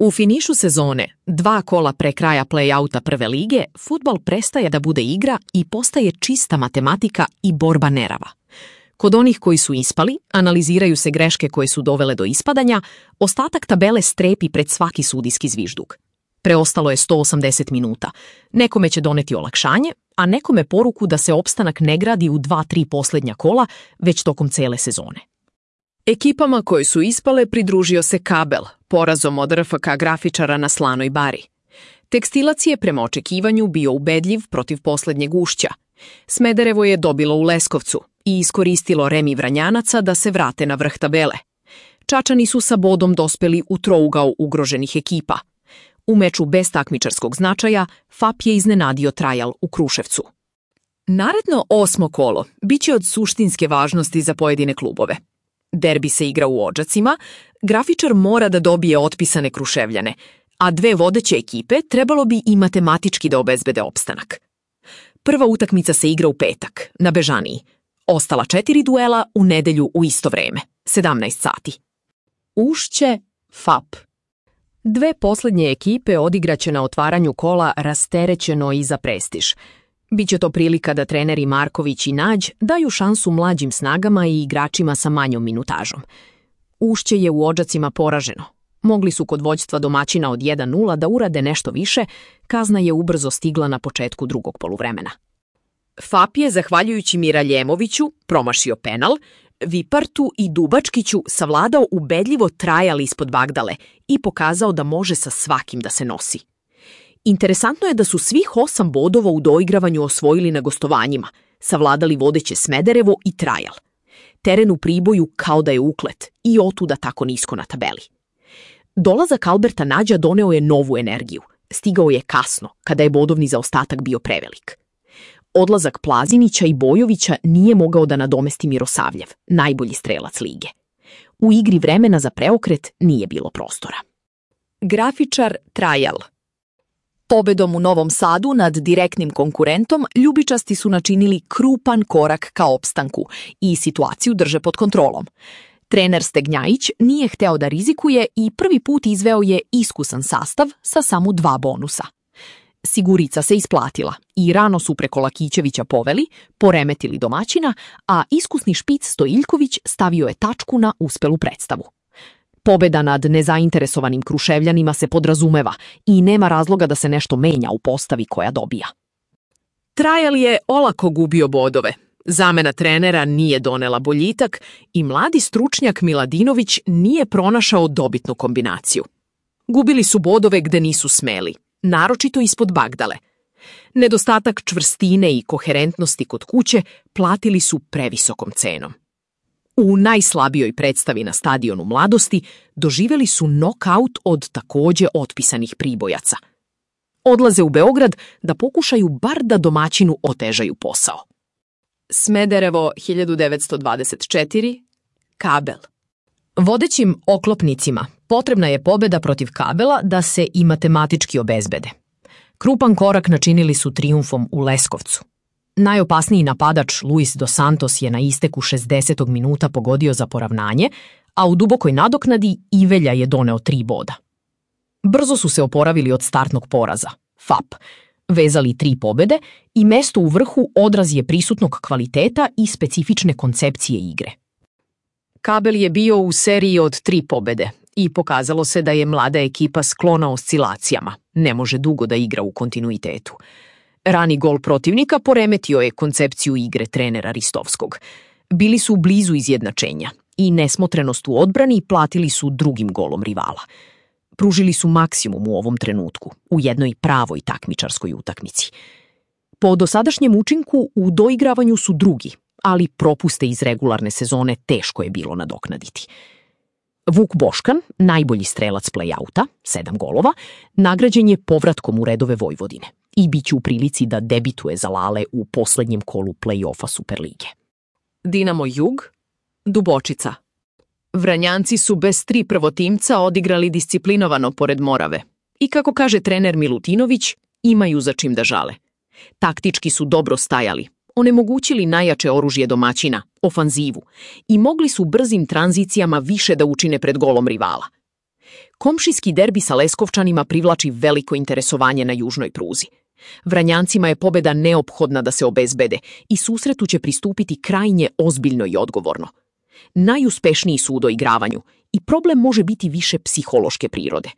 U finišu sezone, 2 kola pre kraja play-outa prve lige, fudbal prestaje da bude igra i postaje čista matematika i borba nerava. Kod onih koji su ispali, analiziraju se greške koje su dovele do ispadanja, ostatak tabele strepi pred svaki sudijski zvižduk. Preostalo je 180 minuta. Nekome će doneti olakšanje, a nekome poruku da se opstanak ne gradi u 2-3 posljednja kola, već tokom cele sezone. Ekipama koje su ispale pridružio se Kabel, porazom od RFK Grafičara na Slanoj Bari. Tekstilac je prema očekivanju bio ubedljiv protiv posljednjeg Ušća. Smederevo je dobilo u Leskovcu i iskoristilo remi Vranjanaca da se vrate na vrh tabele. Čačani su sa bodom dospeli u trougao ugroženih ekipa. U meču bez takmičarskog značaja, FAP je iznenadio Trajal u Kruševcu. Naredno 8. kolo biće od suštinske važnosti za pojedine klubove. Derbi se igra u Odžacima, Grafičar mora da dobije otpisane Kruševljane, a 2 vodeće ekipe trebalo bi i matematički da obezbede opstanak. Prva utakmica se igra u petak, na Bežaniji. Ostala 4 duela u nedelju u isto vreme, 17 sati. Ušće, FAP. 2 posljednje ekipe odigraće na otvaranju kola rasterećeno i za prestiž. Biće to prilika da treneri Marković i Nađ daju šansu mlađim snagama i igračima sa manjom minutažom. Ušće je u Odžacima poraženo. Mogli su kod vođstva domaćina od 1-0 da urade nešto više, kazna je ubrzo stigla na početku drugog poluvremena. FAP je, zahvaljujući Miraljemoviću, promašio penal, Vipartu i Dubačkiću savladao ubedljivo Trajal ispod Bagdale i pokazao da može sa svakim da se nosi. Interesantno je da su svih 8 bodova u doigravanju osvojili na gostovanjima, savladali vodeće Smederevo i Trajal. Teren u Priboju kao da je uklet i otuda tako nisko na tabeli. Dolazak Alberta Nađa doneo je novu energiju. Stigao je kasno, kada je bodovni zaostatak bio prevelik. Odlazak Plazinića i Bojovića nije mogao da nadomesti Mirosavljev, najbolji strelac lige. U igri vremena za preokret nije bilo prostora. Grafičar Trajal. Pobedom u Novom Sadu nad direktnim konkurentom ljubičasti su načinili krupan korak ka opstanku i situaciju drže pod kontrolom. Trener Stegnjajić nije hteo da rizikuje i prvi put izveo je iskusan sastav sa samo 2 bonusa. Sigurica se isplatila i rano su preko Lakićevića poveli, poremetili domaćina, a iskusni špic Stojiljković stavio je tačku na uspelu predstavu. Pobeda nad nezainteresovanim Kruševljanima se podrazumeva i nema razloga da se nešto menja u postavi koja dobija. Trajal je olako gubio bodove. Zamena trenera nije donela boljitak i mladi stručnjak Miladinović nije pronašao dobitnu kombinaciju. Gubili su bodove gde nisu smeli, naročito ispod Bagdale. Nedostatak čvrstine i koherentnosti kod kuće platili su previsokom cenom. U najslabijoj predstavi na stadionu Mladosti doživjeli su nokaut od takođe otpisanih Pribojaca. Odlaze u Beograd da pokušaju bar da domaćinu otežaju posao. Smederevo 1924, Kabel. Vodećim oklopnicima potrebna je pobeda protiv Kabela da se i matematički obezbede. Krupan korak načinili su trijumfom u Leskovcu. Najopasniji napadač Luis dos Santos je na isteku 60. minuta pogodio za poravnanje, a u dubokoj nadoknadi Ivelja je doneo 3 boda. Brzo su se oporavili od startnog poraza, FAP, vezali 3 pobede i mesto u vrhu odraz je prisutnog kvaliteta i specifične koncepcije igre. Kabel je bio u seriji od 3 pobede i pokazalo se da je mlada ekipa sklona oscilacijama, ne može dugo da igra u kontinuitetu. Rani gol protivnika poremetio je koncepciju igre trenera Ristovskog. Bili su blizu izjednačenja i nesmotrenost u odbrani platili su drugim golom rivala. Pružili su maksimum u ovom trenutku, u jednoj pravoj takmičarskoj utakmici. Po dosadašnjem učinku u doigravanju su drugi, ali propuste iz regularne sezone teško je bilo nadoknaditi. Vuk Boškan, najbolji strelac play-outa, 7 golova, nagrađen je povratkom u redove Vojvodine i bit će u prilici da debituje za Lale u poslednjem kolu play-offa Superlige. Dinamo Jug, Dubočica. Vranjanci su bez 3 prvotimca odigrali disciplinovano pored Morave i, kako kaže trener Milutinović, imaju za čim da žale. Taktički su dobro stajali, onemogućili najjače oružje domaćina, ofanzivu, i mogli su brzim tranzicijama više da učine pred golom rivala. Komšijski derbi sa Leskovčanima privlači veliko interesovanje na južnoj pruzi. Vranjancima je pobeda neophodna da se obezbede i susretu će pristupiti krajnje ozbiljno i odgovorno. Najuspešniji su u doigravanju i problem može biti više psihološke prirode.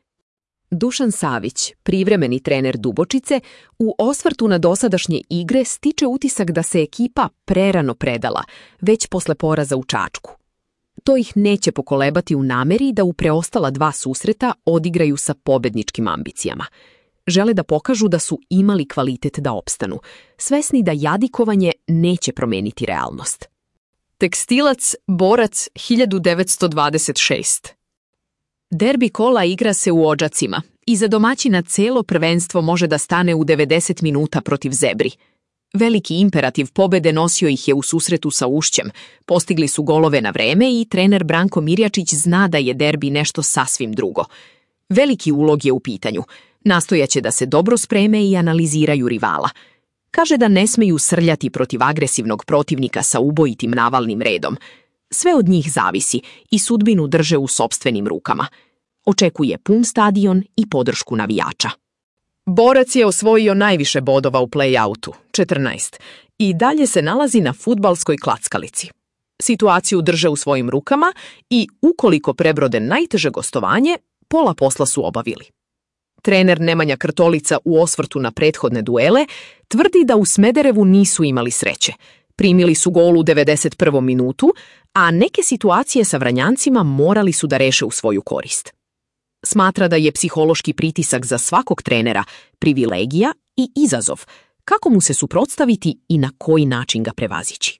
Dušan Savić, privremeni trener Dubočice, u osvrtu na dosadašnje igre stiče utisak da se ekipa prerano predala, već posle poraza u Čačku. To ih neće pokolebati u nameri da u preostala 2 susreta odigraju sa pobedničkim ambicijama. Žele da pokažu da su imali kvalitet da opstanu, svesni da jadikovanje neće promeniti realnost. Tekstilac Borac 1926. Derbi kola igra se u Odžacima i za domaćina celo prvenstvo može da stane u 90 minuta protiv Zebri. Veliki imperativ pobede nosio ih je u susretu sa Ušćem, postigli su golove na vreme i trener Branko Mirjačić zna da je derbi nešto sasvim drugo. Veliki ulog je u pitanju, nastojaće da se dobro spreme i analiziraju rivala. Kaže da ne smeju srljati protiv agresivnog protivnika sa ubojitim navalnim redom. Sve od njih zavisi i sudbinu drže u sopstvenim rukama. Očekuje pun stadion i podršku navijača. Borac je osvojio najviše bodova u play-outu, 14, i dalje se nalazi na fudbalskoj klackalici. Situaciju drže u svojim rukama i, ukoliko prebrode najteže gostovanje, pola posla su obavili. Trener Nemanja Krtolica u osvrtu na prethodne duele tvrdi da u Smederevu nisu imali sreće. Primili su gol u 91. minutu, a neke situacije sa Vranjancima morali su da reše u svoju korist. Smatra da je psihološki pritisak za svakog trenera privilegija i izazov, kako mu se suprotstaviti i na koji način ga prevazići.